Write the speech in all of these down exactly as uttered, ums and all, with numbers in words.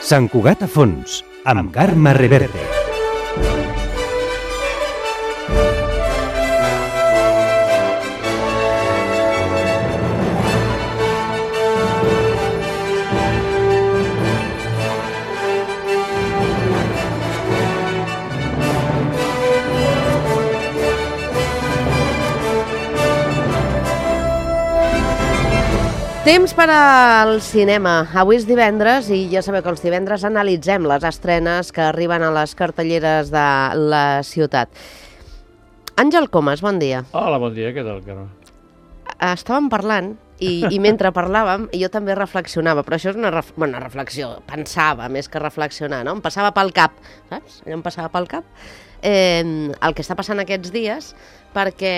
Sant Cugat a fons, amb Carme Reverte. Temps per al cinema. Avui és divendres i ja sabeu que els divendres analitzem les estrenes que arriben a les cartelleres de la ciutat. Àngel Comas, bon dia. Hola, bon dia, què tal, Carme? Estàvem parlant i, i mentre parlàvem jo també reflexionava, però això és una, ref, bueno, una reflexió, pensava més que reflexionar, no? Em passava pel cap, saps? Allò em passava pel cap eh, el que està passant aquests dies, perquè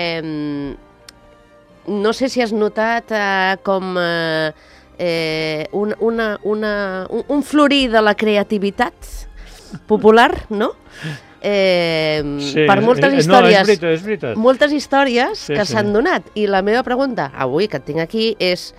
no sé si has notat eh, com eh, eh, un, una, una, un, un florir de la creativitat popular, no? Eh, sí, per moltes històries, no, és veritat, és veritat. moltes històries sí, que sí. s'han donat. I la meva pregunta, avui que et tinc aquí, és: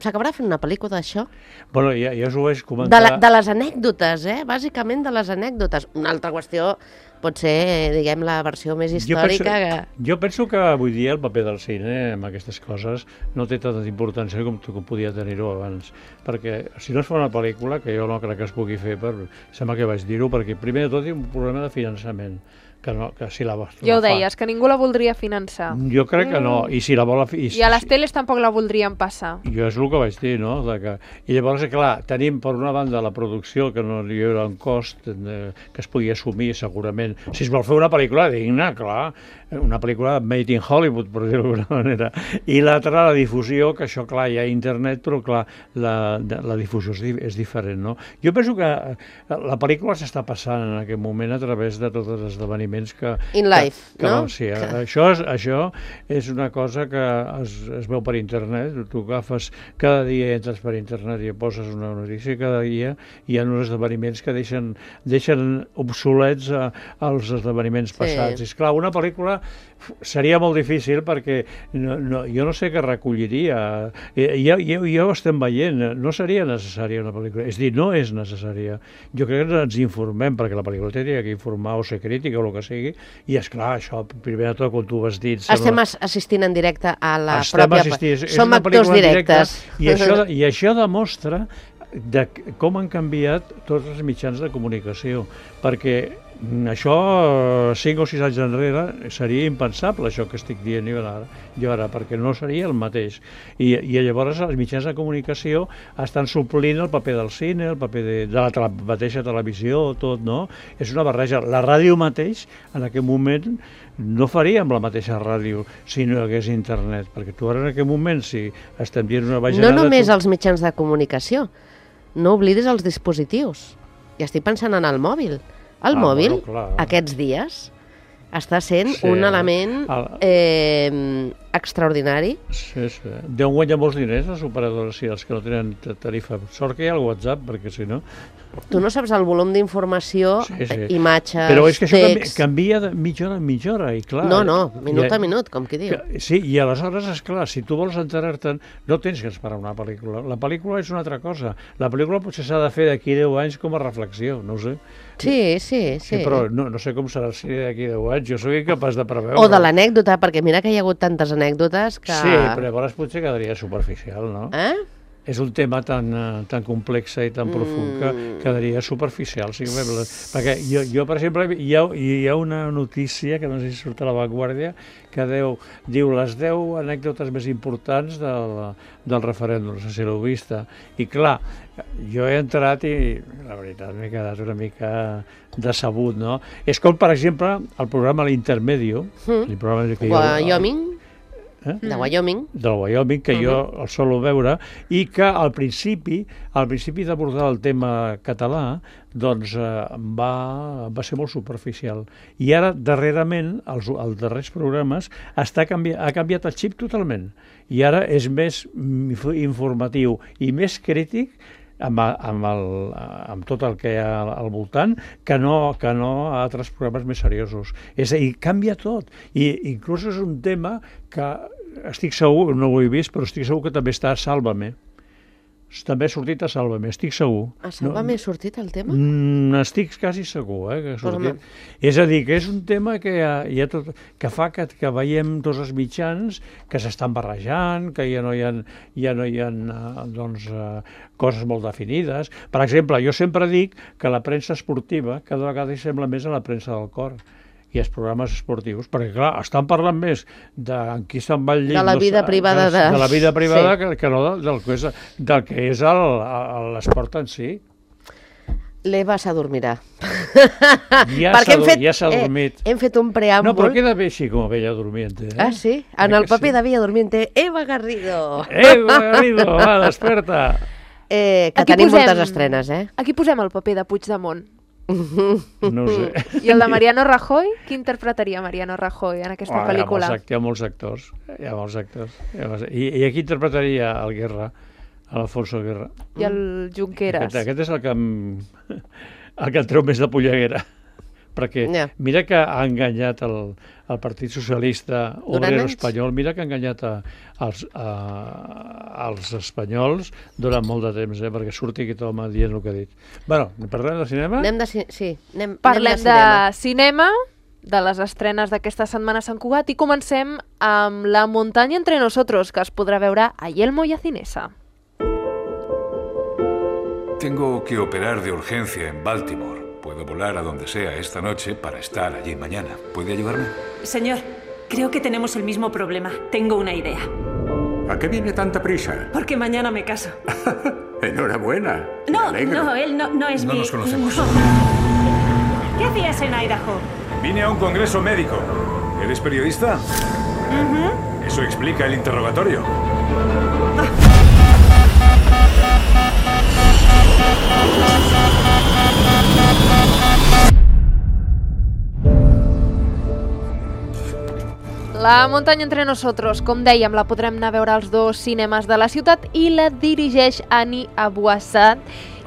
s'acabarà fent una pel·lícula d'això? Bueno, ja, ja us ho vaig comentar. De, la, de les anècdotes, eh? Bàsicament de les anècdotes. Una altra qüestió pot ser, diguem, la versió més històrica. Jo penso, que... jo penso que avui dia el paper del cine amb aquestes coses no té tanta importància com, com podia tenir-ho abans. Perquè si no es fa una pel·lícula, que jo no crec que es pugui fer, per, sembla que vaig dir-ho, perquè primer de tot hi ha un problema de finançament. Que no, que si la, ja ho la deies, que ningú la voldria finançar. Jo crec que no, i si la vol... I, I a les teles tampoc la voldrien passar. Jo és el que vaig dir, no? De que... I llavors, clar, tenim per una banda la producció, que no hi haurà un cost eh, que es pugui assumir segurament. Si es vol fer una pel·lícula digna, clar, una pel·lícula made in Hollywood, per dir-ho d'alguna manera. I l'altra, la difusió, que això, clar, hi ha internet, però, clar, la, la difusió és, és diferent, no? Jo penso que la pel·lícula s'està passant en aquest moment a través de tots els esdeveniments que... In life, que, que, no? Sí, que... això, és, això és una cosa que es, es veu per internet. Tu agafes, cada dia entres per internet i poses una notícia, cada dia hi ha uns esdeveniments que deixen, deixen obsolets a, als esdeveniments passats. Sí. És clar, una pel·lícula seria molt difícil perquè no, no, jo no sé què recolliria. Ja, ja, ja ho estem veient, no seria necessària una pel·lícula. És dir, no és necessària. Jo crec que ens informem, perquè la pel·lícula tenia que informar o ser crítica o el que sigui, i esclar, això, primer de tot, quan tu ho has dit... Estem sembla... assistint en directe a la Estem pròpia... Assistint, Som actors directes. Directe, i, això, I això demostra de com han canviat tots els mitjans de comunicació, perquè això cinc o sis anys enrere seria impensable, això que estic dient jo ara, jo ara perquè no seria el mateix. I, i llavors els mitjans de comunicació estan suplint el paper del cine, el paper de, de la tele, mateixa televisió, tot, no? És una barreja. La ràdio mateix, en aquest moment, no faríem la mateixa ràdio si no hi hagués internet, perquè tu ara en aquest moment, si estem dient una bajanada... No només tu... els mitjans de comunicació, no oblidis els dispositius. I estic pensant en el mòbil. El ah, mòbil, bueno, aquests dies, està sent sí, un element el... eh, extraordinari. Sí, sí. Deuen guanyar molts diners les operadores, sí, els que no tenen tarifa. Sort que hi ha el WhatsApp, perquè si no... Tu no saps el volum d'informació, sí, sí. imatges, però és que això text... canvia de mitja hora en mitja hora, i clar... No, no, minut ha, a minut, com qui diu. Que, sí, i aleshores, és clar, si tu vols enterar-te'n, no tens que esperar una pel·lícula. La pel·lícula és una altra cosa. La pel·lícula potser s'ha de fer d'aquí deu anys com a reflexió, no ho sé. Sí, sí, sí. sí però no, no sé com serà el cine d'aquí deu anys, jo soc incapaç de preveure. O de l'anècdota, perquè mira que hi ha hagut tantes anècdotes que... Sí, però llavors potser quedaria superficial, no? Eh? És un tema tan, uh, tan complex i tan profund que quedaria superficial. Sí, perquè jo, jo, per exemple, hi ha, hi ha una notícia, que no sé si surt a La Vanguardia, que deu, diu les deu anècdotes més importants del, del referèndum, no sé si l'heu vista. I clar, jo he entrat i la veritat m'he quedat una mica decebut, no? És com, per exemple, el programa L'Intermedio, mm. el programa que Wyoming, jo... Eh? de Wyoming. Del Wyoming, que uh-huh. jo el solo veure, i que al principi, al principi d'abordar el tema català, doncs eh, va, va ser molt superficial. I ara, darrerament, els, els darrers programes, està canvi, ha canviat el xip totalment. I ara és més informatiu i més crític amb, amb, el, amb tot el que hi ha al voltant, que no, que no a altres programes més seriosos. És a dir, canvia tot. I inclús és un tema que estic segur, no ho he vist, però estic segur que també està a Sálvame. també ha sortit a Sálvame, estic segur. A Sálvame ha sortit el tema? Mm, estic quasi segur, eh, que ha sortit. Pues és a dir, que és un tema que, hi ha, hi ha tot, que fa que, que veiem tots els mitjans que s'estan barrejant, que ja no hi ha, ja no hi ha doncs, uh, coses molt definides. Per exemple, jo sempre dic que la premsa esportiva cada vegada hi sembla més a la premsa del cor i els programes esportius, perquè clar, estan parlant més de en qui se'n va al llit, de la vida no, privada de, de la vida privada sí. que, que no del que és, del que és el, l'esport en si. L'Eva s'adormirà. Ja s'ha fet, ja dormit. Eh, hem fet un preàmbul. No, però queda bé així com a Bella Durmiente. Eh? Ah, sí? En el paper sí. de Bella Durmiente, Eva Garrido. Eva Garrido, va, desperta. Eh, que aquí tenim posem, moltes estrenes, eh? Aquí posem el paper de Puigdemont. No ho sé. I el de Mariano Rajoy? Qui interpretaria Mariano Rajoy en aquesta oh, pel·lícula? Hi ha molts actors. Hi ha molts actors. Hi ha molts... I, I aquí interpretaria el Guerra, l'Alfonso Guerra. I el Junqueras. Aquest, aquest és el que, em... el que em treu més de polleguera. Perquè yeah. mira que ha enganyat el, el Partit Socialista Obrero Espanyol, mira que ha enganyat a, als, a, als espanyols durant molt de temps, eh, perquè surti aquest home dient el que ha dit. Bueno, parlem de cinema? Anem de, sí, anem, Parlem anem de cinema. de cinema, de les estrenes d'aquesta setmana a Sant Cugat, i comencem amb La muntanya entre nosotros, que es podrà veure a Yelmo y a Cinesa. Tengo que operar de urgencia en Baltimore. Puedo volar a donde sea esta noche para estar allí mañana. ¿Puede ayudarme? Señor, creo que tenemos el mismo problema. Tengo una idea. ¿A qué viene tanta prisa? Porque mañana me caso. Enhorabuena. No, no, él no, no es no mi... No nos conocemos. No. ¿Qué hacías en Idaho? Vine a un congreso médico. ¿Eres periodista? Uh-huh. Eso explica el interrogatorio. La muntanya entre nosotros, com dèiem, la podrem anar a veure als dos cinemes de la ciutat i la dirigeix Ani Abuassad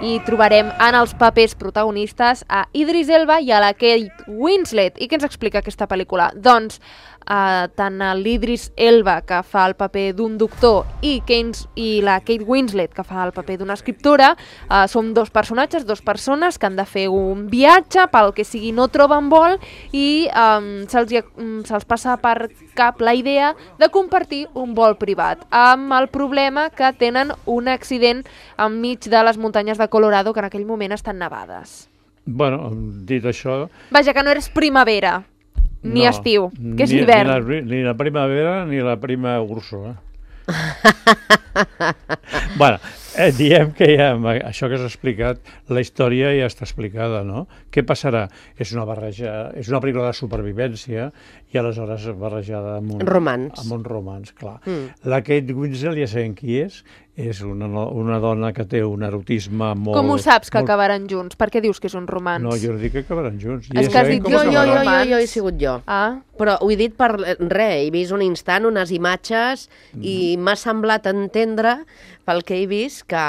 i trobarem en els papers protagonistes a Idris Elba i a la Kate Winslet. I què ens explica aquesta pel·lícula? Doncs Uh, tant l'Idris Elba, que fa el paper d'un doctor, i, Keynes, i la Kate Winslet, que fa el paper d'una escriptora, uh, són dos personatges, dos persones que han de fer un viatge, pel que sigui no troben vol, i um, se'ls, um, se'ls passa per cap la idea de compartir un vol privat, amb el problema que tenen un accident enmig de les muntanyes de Colorado, que en aquell moment estan nevades. Bueno, dit això... Vaja, que no eres primavera. Ni no, estiu, que és ni, hivern. Ni la, ni la primavera ni la prima Urso. Eh? bueno, eh, diem que ja, això que has explicat, la història ja està explicada, no? Què passarà? És una barreja, és una pel·lícula de supervivència i aleshores barrejada amb un romans. Amb un romans, clar. Mm. La Kate Winslet ja sabem qui és, és una, una dona que té un erotisme molt... Com ho saps que molt... acabaran junts? Per què dius que és un romans? No, jo no dic que acabaran junts. És ja que has dit jo, jo, jo, jo, jo he sigut jo. Ah. Però ho he dit per res, he vist un instant, unes imatges, mm. i m'ha semblat entendre, pel que he vist, que,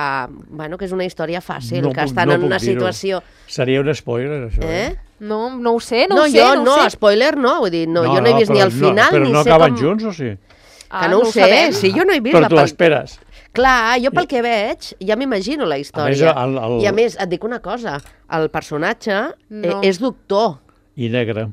bueno, que és una història fàcil, no que puc, estan no en una dir-ho. situació... Seria un spoiler, això. Eh? eh? No, no ho sé, no, no ho sé, jo, no, no, ho sé. spoiler no, vull dir, no, no, jo no he vist no, ni el final, no, però ni no sé acaben com... junts, o sí? Que Ah, no, no ho sé, sabem. si jo no he vist però la tu pel·lícula. l'esperes. Clar, jo pel que veig ja m'imagino la història. A més, el, el... I a més, et dic una cosa, el personatge No. és doctor. I negre.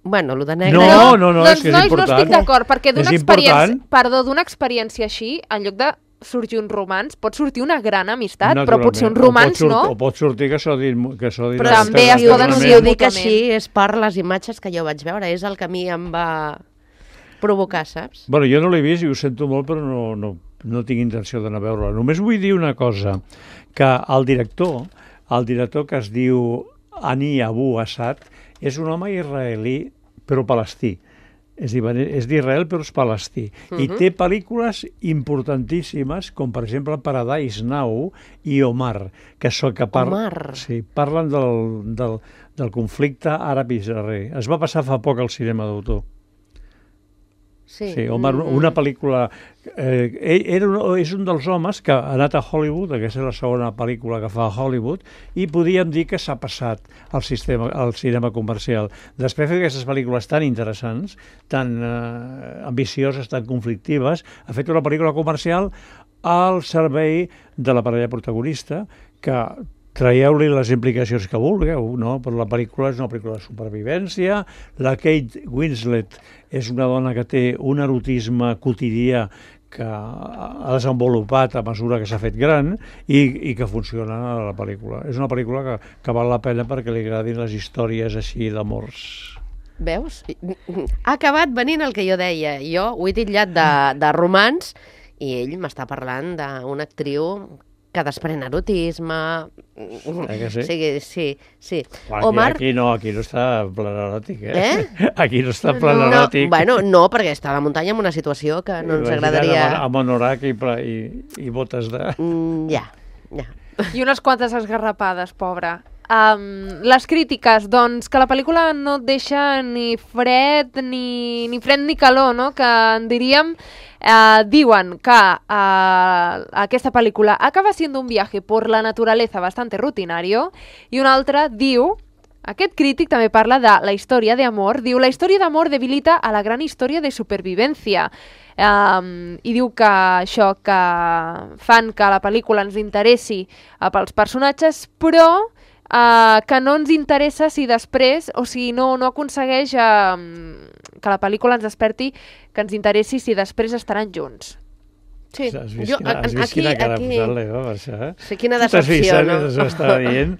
Bueno, el de negre... No, no, no, doncs, és que és nois, important. no estic d'acord, perquè d'una És experiència, important. perdó, d'una experiència així, en lloc de sorgir un romans, pot sortir una gran amistat, però potser un romans o pot no. O pot sortir que s'ho dit... Que s'ho dit Però també si, es ho, poden si dir ho dic mútuament. així és per les imatges que jo vaig veure, és el que a mi em va provocar, saps? Bueno, jo no l'he vist i ho sento molt, però no, no, no tinc intenció d'anar a veure-la. Només vull dir una cosa, que el director, el director que es diu Ani Abuassad, és un home israelí, però palestí. És, és d'Israel però és palestí. Uh -huh. I té pel·lícules importantíssimes, com per exemple Paradise Now i Omar, que, so, que par Omar. Sí, parlen del, del, del conflicte àrab-israelí. Es va passar fa poc al cinema d'autor. Sí, Sí, Omar, una pel·lícula... Eh, era un, és un dels homes que ha anat a Hollywood, aquesta és la segona pel·lícula que fa a Hollywood, i podíem dir que s'ha passat al, sistema, al cinema comercial. Després de fer aquestes pel·lícules tan interessants, tan eh, ambicioses, tan conflictives, ha fet una pel·lícula comercial al servei de la parella protagonista, que traieu-li les implicacions que vulgueu, no? Però la pel·lícula és una pel·lícula de supervivència, la Kate Winslet és una dona que té un erotisme quotidià que ha desenvolupat a mesura que s'ha fet gran i, i que funciona a la pel·lícula. És una pel·lícula que, que val la pena perquè li agradin les històries així d'amors. Veus? Ha acabat venint el que jo deia. Jo ho he titllat de, de romans i ell m'està parlant d'una actriu que desprèn erotisme... Eh que sí? Sí, sí, sí. Aquí, Omar... aquí no, aquí no està en plan eròtic, eh? Eh? Aquí no està en plan no, eròtic. Bueno, no, perquè està a la muntanya en una situació que no ens agradaria... Amb anorac i, i, i botes de... Mm, ja, ja. I unes quantes esgarrapades, pobra. Um, les crítiques, doncs, que la pel·lícula no et deixa ni fred ni, ni fred ni calor, no? Que en diríem... Uh, diuen que uh, aquesta pel·lícula acaba siendo un viaje por la naturaleza bastante rutinario, i un altre diu, aquest crític també parla de la història d'amor, diu, la història d'amor debilita a la gran història de supervivència. Um, i diu que això que fan que la pel·lícula ens interessi uh, pels personatges, però Uh, que no ens interessa si després, o si no, no aconsegueix uh, que la pel·lícula ens desperti, que ens interessi si després estaran junts. Sí. Has vist, Jo, quina, has vist aquí, quina cara aquí... posar-li, no, per això, eh? Sí, quina T'has vist, decepció, no? Ho estava dient.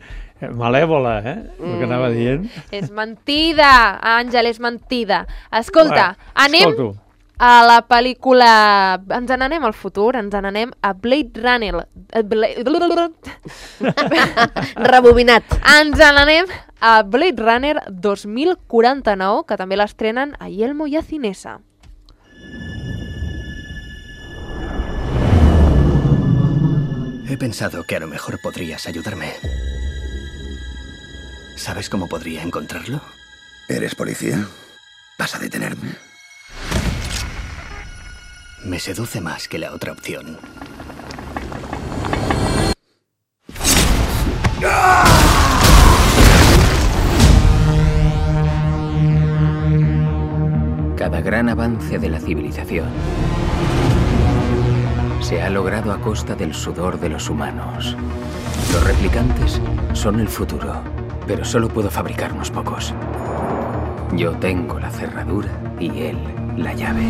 Malèvola, eh? El que anava dient. És mentida, Àngel, és mentida. Escolta, Bueno, anem escolto. a la pel·lícula... Ens n'anem al futur, ens n'anem a Blade Runner. Blade... Rebobinat. Ens n'anem a Blade Runner dos mil quaranta-nou, que també l'estrenen a Yelmo i a Cinesa. He pensado que a lo mejor podrías ayudarme. ¿Sabes cómo podría encontrarlo? ¿Eres policía? ¿Vas a detenerme? Me seduce más que la otra opción. Cada gran avance de la civilización se ha logrado a costa del sudor de los humanos. Los replicantes son el futuro, pero solo puedo fabricar unos pocos. Yo tengo la cerradura y él la llave.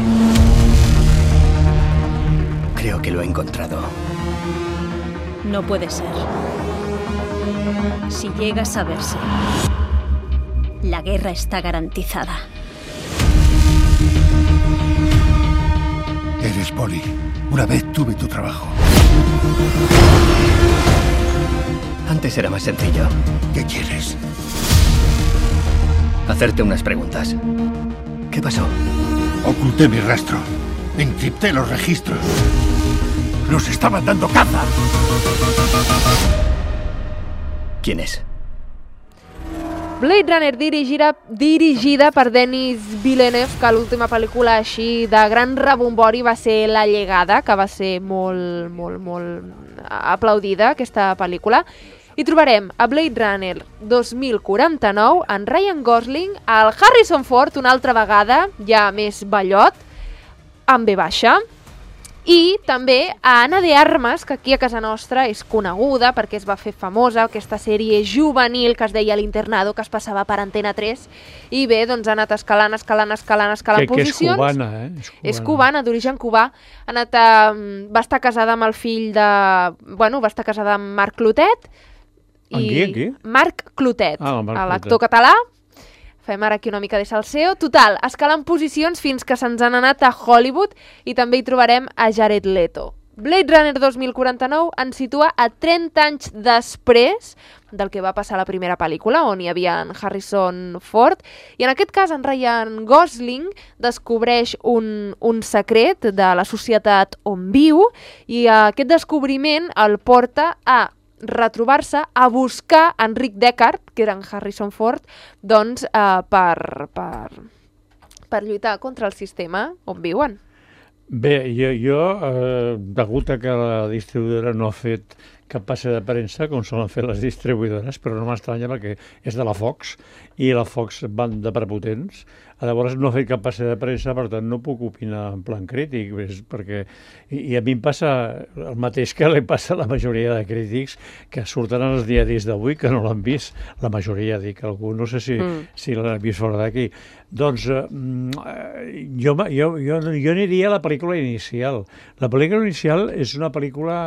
Creo que lo he encontrado. No puede ser. Si llega a saberse, la guerra está garantizada. Eres poli. Una vez tuve tu trabajo. Antes era más sencillo. ¿Qué quieres? Hacerte unas preguntas. ¿Qué pasó? Oculté mi rastro. Encripté los registros. Nos estaban dando caza. ¿Quién es? Blade Runner dirigida, dirigida per Denis Villeneuve, que l'última pel·lícula així de gran rebombori va ser La llegada, que va ser molt, molt, molt aplaudida, aquesta pel·lícula. I trobarem a Blade Runner dos mil quaranta-nou en Ryan Gosling, el Harrison Ford una altra vegada, ja més ballot, amb B baixa, i també a Ana de Armas, que aquí a casa nostra és coneguda perquè es va fer famosa, aquesta sèrie juvenil que es deia L'Internado, que es passava per Antena tres, i bé, doncs ha anat escalant, escalant, escalant, escalant que, posicions. Que és cubana, eh? És cubana, és cubana d'origen cubà. Ha anat a, va estar casada amb el fill de... Bueno, va estar casada amb Marc Clotet. I... En qui, en qui? Marc Clotet, ah, l'actor català. Fem ara aquí una mica de salseo. Total, escalant posicions fins que se'ns han anat a Hollywood i també hi trobarem a Jared Leto. Blade Runner dos mil quaranta-nou ens situa a trenta anys després del que va passar a la primera pel·lícula, on hi havia en Harrison Ford, i en aquest cas en Ryan Gosling descobreix un, un secret de la societat on viu, i aquest descobriment el porta a retrobar-se, a buscar Enric Deckard, que era en Harrison Ford, doncs eh, per, per, per lluitar contra el sistema on viuen. Bé, jo, jo eh, degut a que la distribuïdora no ha fet cap passe de premsa, com solen fer les distribuïdores, però no m'estranya perquè és de la Fox, i la Fox van de prepotents. Llavors no he fet cap passe de premsa, per tant no puc opinar en plan crític, perquè i, i a mi em passa el mateix que li passa a la majoria de crítics que surten als diaris d'avui que no l'han vist, la majoria, dic, algú no sé si, mm. si l'han vist fora d'aquí. Doncs eh, jo, jo, jo, jo aniria a la pel·lícula inicial. La pel·lícula inicial és una pel·lícula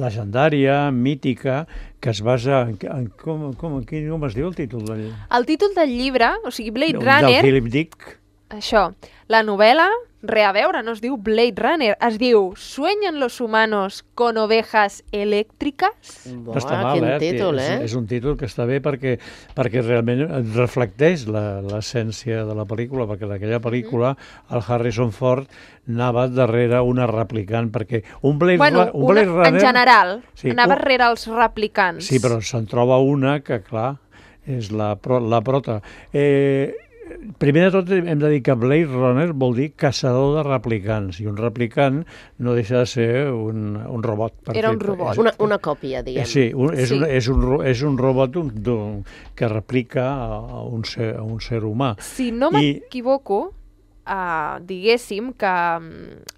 legendària, mítica, que es basa en... en com, com, quin, com es diu el títol del... El títol del llibre, o sigui, Blade del, Runner... Del Philip Dick. Això. La novel·la, re a veure, no es diu Blade Runner, es diu ¿Sueñan los humanos con ovejas eléctricas? No està mal, eh? Títol, eh? És, és un títol que està bé perquè, perquè realment reflecteix l'essència de la pel·lícula, perquè en aquella pel·lícula mm. el Harrison Ford anava darrere una replicant, perquè un Blade, bueno, un Blade una, Runner... en general, sí, anava un, darrere els replicants. Sí, però se'n troba una que, clar, és la, la prota. Eh, primer de tot hem de dir que Blade Runner vol dir caçador de replicants, i un replicant no deixa de ser un, un robot. Era un robot, una, una còpia, diguem. Sí, un, és, sí. Un, és, un, és un robot un, un, que replica a un ser, a un ser humà. Si no m'equivoco, Uh, diguéssim que um,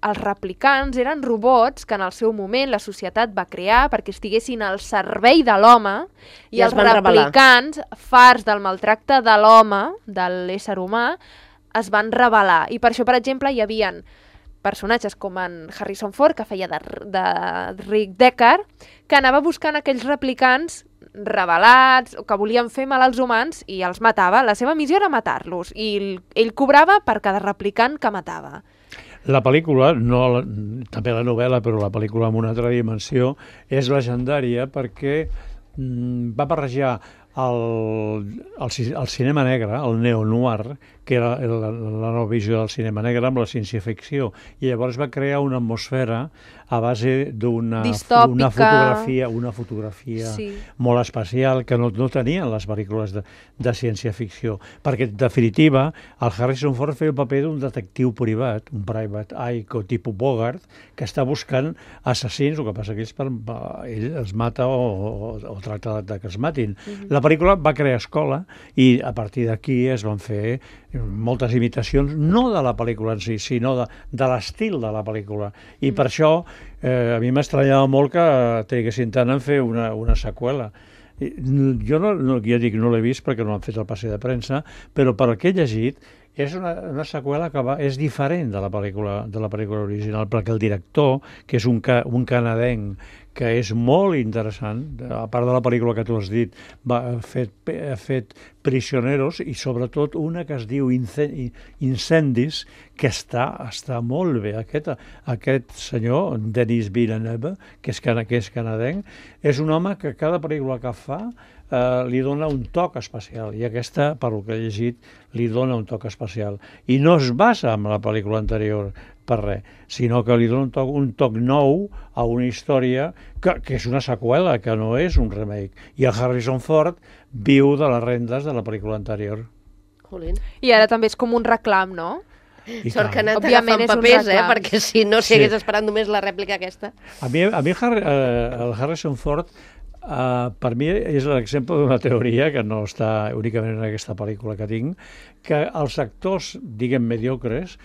els replicants eren robots que en el seu moment la societat va crear perquè estiguessin al servei de l'home i, I els replicants, revelar. farts del maltracte de l'home, de l'ésser humà, es van rebel·lar. I per això, per exemple, hi havia personatges com en Harrison Ford, que feia de, de Rick Deckard, que anava buscant aquells replicants rebel·lats, que volien fer mal als humans i els matava. La seva missió era matar-los i ell cobrava per cada replicant que matava. La pel·lícula, no, la, també la novel·la, però la pel·lícula amb una altra dimensió, és legendària perquè mm, va barrejar el, el, el cinema negre, el neo-noir, que era la, la nova visió del cinema negre amb la ciència-ficció, i llavors va crear una atmosfera a base d'una una fotografia, una fotografia sí. molt especial que no, no tenien les pel·lícules de, de ciència-ficció, perquè en definitiva el Harrison Ford feia el paper d'un detectiu privat, un private eye tipus Bogart, que està buscant assassins, el que passa que ells, per, ell els mata o, o, o tracta de que els matin. Mm-hmm. La pel·lícula va crear escola i a partir d'aquí es van fer moltes imitacions, no de la pel·lícula en si, sinó de, de l'estil de la pel·lícula. I mm. per això eh, a mi m'estranyava molt que triguessin tant en fer una, una seqüela. I, jo no, no, ja dic, no l'he vist perquè no han fet el passe de premsa, però per el que he llegit és una, una seqüela que va, és diferent de la pel·lícula de la pel·lícula original, perquè el director, que és un, ca, un canadenc, que és molt interessant, a part de la pel·lícula que tu has dit, va, ha, fet, ha fet Prisioneros i sobretot una que es diu Incendis, que està, està molt bé. Aquest, aquest senyor, Denis Villeneuve, que és, que és canadenc, és un home que cada pel·lícula que fa eh, li dona un toc especial, i aquesta, per el que he llegit, li dona un toc especial. I no es basa en la pel·lícula anterior, per res, sinó que li dona un toc, un toc nou a una història que, que és una seqüela, que no és un remake. I el Harrison Ford viu de les rendes de la pel·lícula anterior. Jolín. I ara també és com un reclam, no? I Sort que ha anat agafant papers, eh? Perquè si no, si hagués sí. esperant només la rèplica aquesta. A mi, a mi Harry, eh, el Harrison Ford, eh, per mi és l'exemple d'una teoria que no està únicament en aquesta pel·lícula que tinc, que els actors, diguem, mediocres,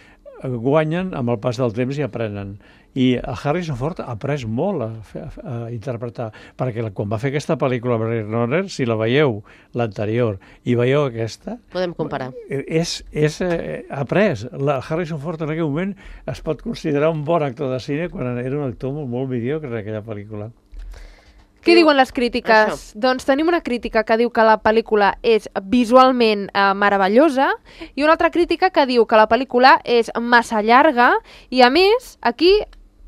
guanyen amb el pas del temps i aprenen. I el Harrison Ford ha après molt a, a, a interpretar, perquè quan va fer aquesta pel·lícula Blade Runner, si la veieu, l'anterior, i veieu aquesta... Podem comparar. És, és eh, après. La Harrison Ford en aquell moment es pot considerar un bon actor de cine quan era un actor molt, molt mediocre en aquella pel·lícula. Què diuen les crítiques? Això. Doncs tenim una crítica que diu que la pel·lícula és visualment eh, meravellosa i una altra crítica que diu que la pel·lícula és massa llarga i, a més, aquí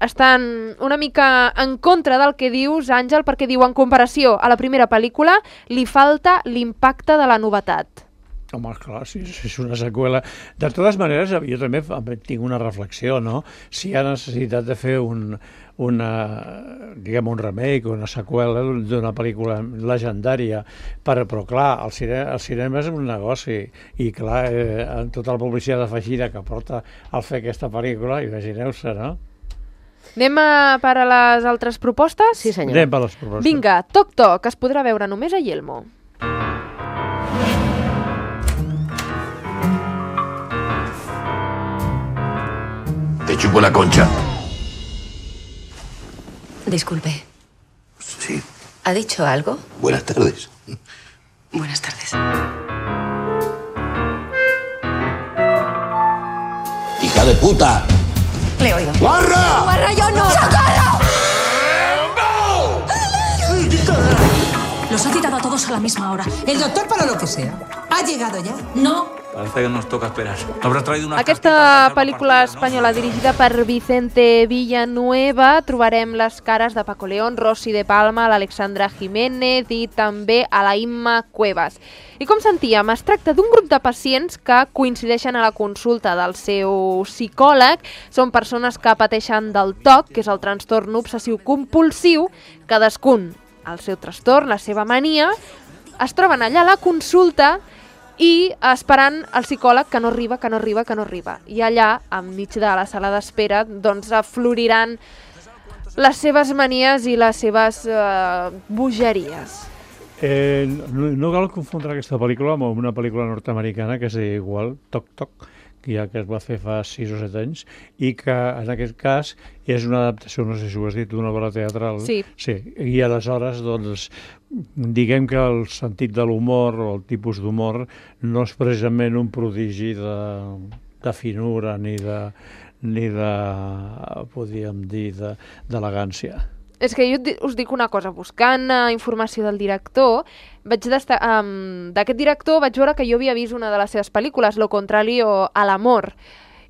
estan una mica en contra del que dius, Àngel, perquè diu, en comparació a la primera pel·lícula, li falta l'impacte de la novetat. Home, clar, si és una seqüela. De totes maneres, jo també tinc una reflexió, no? Si hi ha necessitat de fer un, una, diguem, un remake o una seqüela d'una pel·lícula legendària, però, però clar, el cinema, el cinema és un negoci i, clar, eh, amb tota la publicitat afegida que porta al fer aquesta pel·lícula, imagineu-se, no? Anem a per a les altres propostes? Sí, senyor. Anem per les propostes. Vinga, Toc Toc, es podrà veure només a Yelmo. Te chupo la concha. Disculpe. Sí. ¿Ha dicho algo? Buenas tardes. Buenas tardes. ¡Hija de puta! Le oigo. ¡Guarra! ¡Guarra, yo no! ¡Socorro! Los ha citado a todos a la misma hora. El doctor, para lo que sea, ¿ha llegado ya? No. Parece que nos toca esperar. Habrás traído una Aquesta pel·lícula espanyola dirigida per Vicente Villanueva trobarem les cares de Paco León, Rosy de Palma, l'Alexandra Jiménez i també a la Imma Cuevas. I com sentíem, es tracta d'un grup de pacients que coincideixen a la consulta del seu psicòleg. Són persones que pateixen del T O C, que és el trastorn obsessiu compulsiu, cadascun el seu trastorn, la seva mania, es troben allà a la consulta i esperant el psicòleg que no arriba, que no arriba, que no arriba. I allà, enmig de la sala d'espera, doncs afloriran les seves manies i les seves eh, bogeries. Eh, no, no cal confondre aquesta pel·lícula amb una pel·lícula nord-americana que és igual, Toc Toc, que ja que es va fer fa sis o set anys, i que en aquest cas és una adaptació, no sé si ho has dit, d'una obra teatral. Sí. Sí. I aleshores, doncs, diguem que el sentit de l'humor o el tipus d'humor no és precisament un prodigi de, de finura ni de, ni de, podríem dir, de, d'elegància. És que jo us dic una cosa, buscant uh, informació del director, vaig desta- um, d'aquest director vaig veure que jo havia vist una de les seves pel·lícules, Lo contrario a l'amor,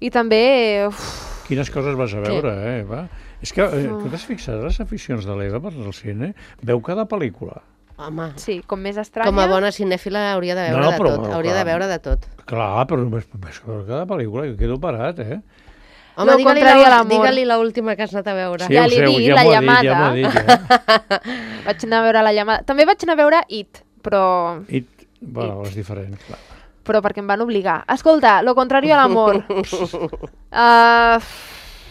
i també... Uf, Quines coses vas a veure, eh, Eva? És que, eh, tu t'has fixat les aficions de l'Eva per al cine? Veu cada pel·lícula. Home, sí, com més estranya... com a bona cinèfila hauria de veure No, no, de però- tot. Hauria de clar. veure de tot. Clar, però només, només veure cada pel·lícula, jo quedo parat, eh? Home, Lo digue-li contrario a la- l'amor. digue-li l'última que has anat a veure. Sí, Ja ho l'he sé, dit, ja La m'ho ha dit, llamada. ja m'ho ha dit, ja. Vaig anar a veure La llamada. També vaig anar a veure It, però... I, bueno, és diferent, clar. però perquè em van obligar. Escolta, Lo contrario a l'amor. uh,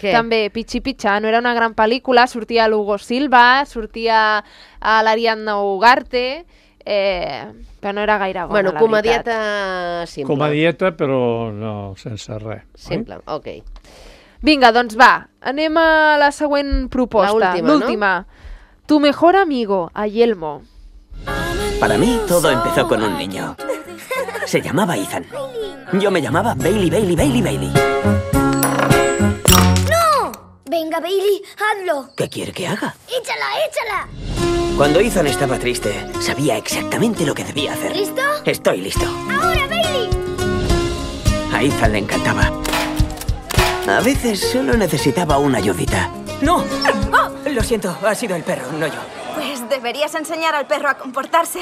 Què? també, Pichi Picha, no era una gran pel·lícula, sortia l'Hugo Silva, sortia a l'Ariadna Ugarte, eh, però no era gaire bona, Bueno, la veritat. comedieta simple. Comedieta, però no, sense res. Simple, ok. Vinga, doncs va, anem a la següent proposta. La última, L'última. Tu mejor amigo, a Yelmo. Para mí todo empezó con un niño. Se llamaba Ethan. Yo me llamaba Bailey, Bailey, Bailey, Bailey. ¡No! Venga, Bailey, hazlo. ¿Qué quiere que haga? ¡Échala, échala! Cuando Ethan estaba triste, sabía exactamente lo que debía hacer. ¿Listo? Estoy listo. ¡Ahora, Bailey! A Ethan le encantaba. A veces solo necesitaba una ayudita. ¡No! Lo siento, ha sido el perro, no yo. Pues deberías enseñar al perro a comportarse.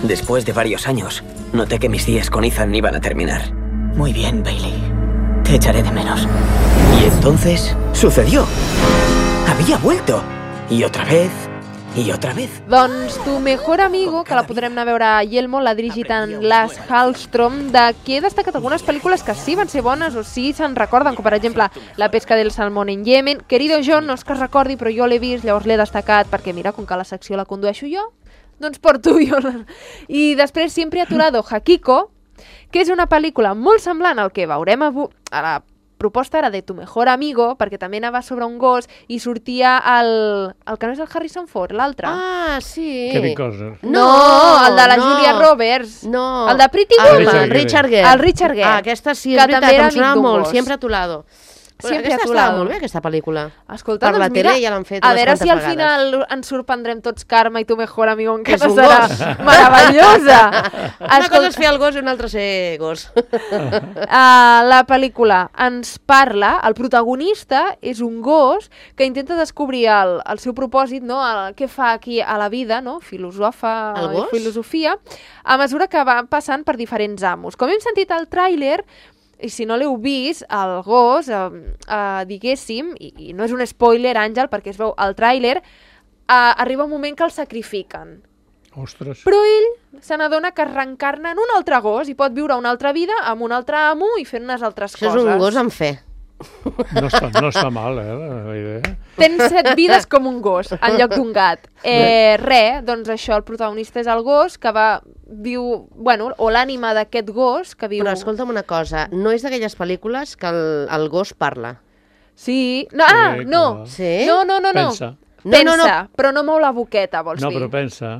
Después de varios años, noté que mis días con Ethan iban a terminar. Muy bien, Bailey. Te echaré de menos. Y entonces sucedió. Había vuelto. Y otra vez, i otra vez. Doncs Tu mejor amigo, que la podrem anar a veure a Yelmo, l'ha dirigit en Lars Hallström, de qui he destacat algunes pel·lícules que sí van ser bones o sí se'n recorden, com per exemple La pesca del salmón en Yemen. Querido John, no és que es recordi, però jo l'he vist, llavors l'he destacat, perquè mira, com que la secció la condueixo jo, doncs porto jo. I després Siempre a tu lado, Hakiko, que és una pel·lícula molt semblant al que veurem avui, a la proposta era de Tu mejor amigo, perquè també anava sobre un gos i sortia el... el que no és el Harrison Ford, l'altre. Ah, sí. Kevin Costner. No, el de la no. Julia Roberts. No. El de Pretty El Woman. Richard Gere. El Richard Gere. Ah, aquesta sí, que és veritat, també era em sonava amic d'un molt. gos. Siempre a tu lado. Sempre aquesta a tu estava lado. molt bé, aquesta pel·lícula. Escolta, per la doncs tele mira, ja l'han fet a unes veure si quantes al vegades. final ens sorprendrem tots Carme i Tu mejor amigo, Que és encara un serà gos. meravellosa. Una cosa és fer el gos i una altra ser gos. Uh, la pel·lícula ens parla, el protagonista és un gos que intenta descobrir el, el seu propòsit, no? El, què fa aquí a la vida, no? Filosofa, El gos? filosofia, a mesura que va passant per diferents amos. Com hem sentit al tràiler, i si no l'heu vist, el gos, eh, eh, diguéssim, i, i no és un spoiler, Àngel, perquè es veu al tràiler, eh, arriba un moment que el sacrifiquen. Ostres. Però ell se n'adona que es reencarna en un altre gos i pot viure una altra vida amb un altre amo i fer unes altres Això coses. és un gos amb fe. No està, no està mal, eh, la idea. Tens set vides com un gos, en lloc d'un gat. Eh, re, doncs això, el protagonista és el gos que va, viu, bueno, o l'ànima d'aquest gos que viu... Però escolta'm una cosa, no és d'aquelles pel·lícules que el, el gos parla? Sí, no, ah, Sí, no, clar. Sí? no, no, no, no. Pensa. Pensa, No, no, no. però no mou la boqueta, vols No, dir? però pensa.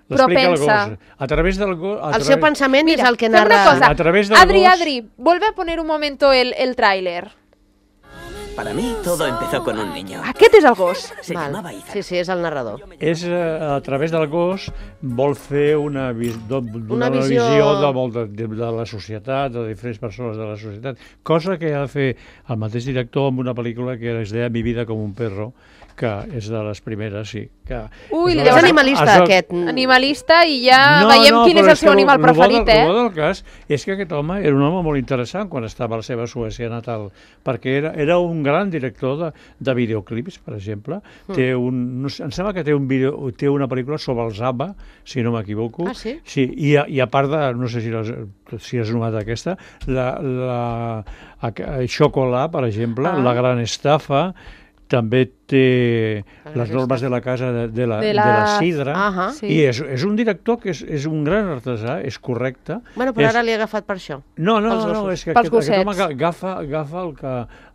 Però L'explica el pensa. gos. A través del gos... a El través- seu pensament Mira, és el que fem una narra... cosa. A través del Adri, gos- Adri, vuelve a poner un momento el, el tráiler. Para mí todo empezó con un niño. Aquest és el gos. Se Val. llamaba Ethan. Sí, sí, és el narrador. És, eh, a través del gos, vol fer una, vis, do, Una una visió- visió de, molt de, de, de la societat, de diferents persones de la societat, cosa que ha de fer el mateix director amb una pel·lícula que es deia Mi vida com un perro, que és de les primeres, sí. Que Ui, de llavors- les- És animalista, es- aquest. Animalista i ja veiem quin és però el seu que animal lo- lo bo preferit, del- eh? Lo bo del cas és que aquest home era un home molt interessant quan estava a la seva Suècia natal, perquè era, era un gran director de, de videoclips, per exemple. Mm. Té un, no sé, em sembla que té, un video, té una pel·lícula sobre els ABBA, si no m'equivoco. Ah, sí? Sí, i, a, i a part de, no sé si, les, si has notat aquesta, la, la, a, Xocolà, per exemple, Ah. La gran estafa, també té La les gran normes de la casa de, de, la, De de, la- la... de la sidra, Ahà. Sí. i és, és un director que és, és un gran artesà, és correcte. Bueno, però és... ara li he agafat per això. No, no, pels no, gossos. és que Pels aquest, aquest home gossets. agafa, agafa el, que,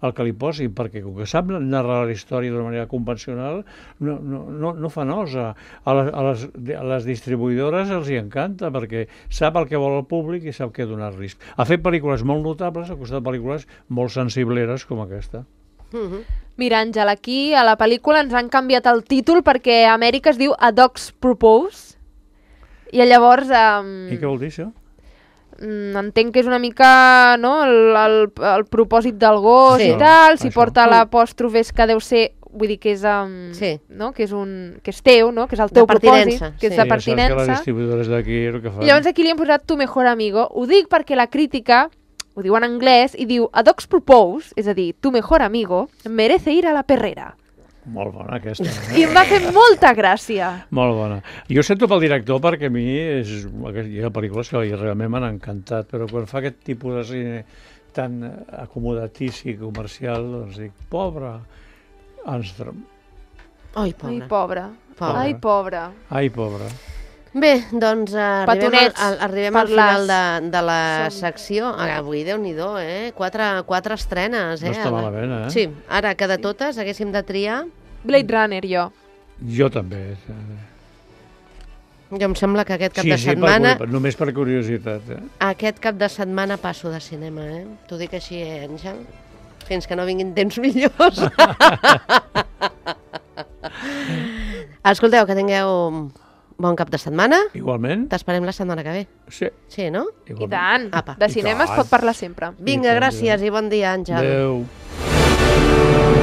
el que li posin, perquè com que sap narrar la història d'una manera convencional, no, no, no, no fa nosa. A les, a, les, a les distribuïdores els hi encanta, perquè sap el que vol el públic i sap què donar-los. Ha fet pel·lícules molt notables, ha costat pel·lícules molt sensibleres com aquesta. Mhm. Mira, Àngel, aquí a la pel·lícula ens han canviat el títol perquè a Amèrica es diu A Dog's Propose i llavors um, I què vol dir això? mm, entenc que és una mica no, el, el, el propòsit del gos Sí. i tal, si Això. porta l'apòstrof és que deu ser, vull dir que és, um, Sí. no? que és, un, que és teu, no? que és el De teu propòsit, pertinença, que és sí. de Ja saps que les pertinença. distribuïdores d'aquí el que fan... I llavors aquí li hem posat Tu mejor amigo. Ho dic perquè la crítica ho diu en anglès i diu A Dog's Propose, és a dir, Tu mejor amigo, merece ir a la perrera. Molt bona aquesta. I em va fer molta gràcia. Molt bona. Jo sento pel director perquè a mi és, hi ha pel·lícules que realment m'han encantat, però quan fa aquest tipus de cine tan acomodatici, comercial, doncs dic, pobre Armstrong. Ai, Ai, pobre. pobre. Pobre. Ai, pobre. Ai, pobre. Bé, doncs eh, arribem, al, Petonets, al, arribem al per final les- de, de la Som- secció. Ah, avui, Déu-n'hi-do, eh? Quatre, quatre estrenes, eh? No està malament, eh? Sí, ara que de totes haguéssim de triar... Blade Runner, jo. Jo també. Jo em sembla que aquest cap Sí, de sí, setmana... per, només per curiositat. Eh? Aquest cap de setmana passo de cinema, eh? T'ho dic així, eh, Àngel? Fins que no vinguin temps millors. Escolteu, que tingueu bon cap de setmana. Igualment. T'esperem la setmana que ve. Sí. Sí, no? I tant. Apa. De cinema es pot parlar sempre. Vinga, gràcies i bon dia, Àngel. Adéu.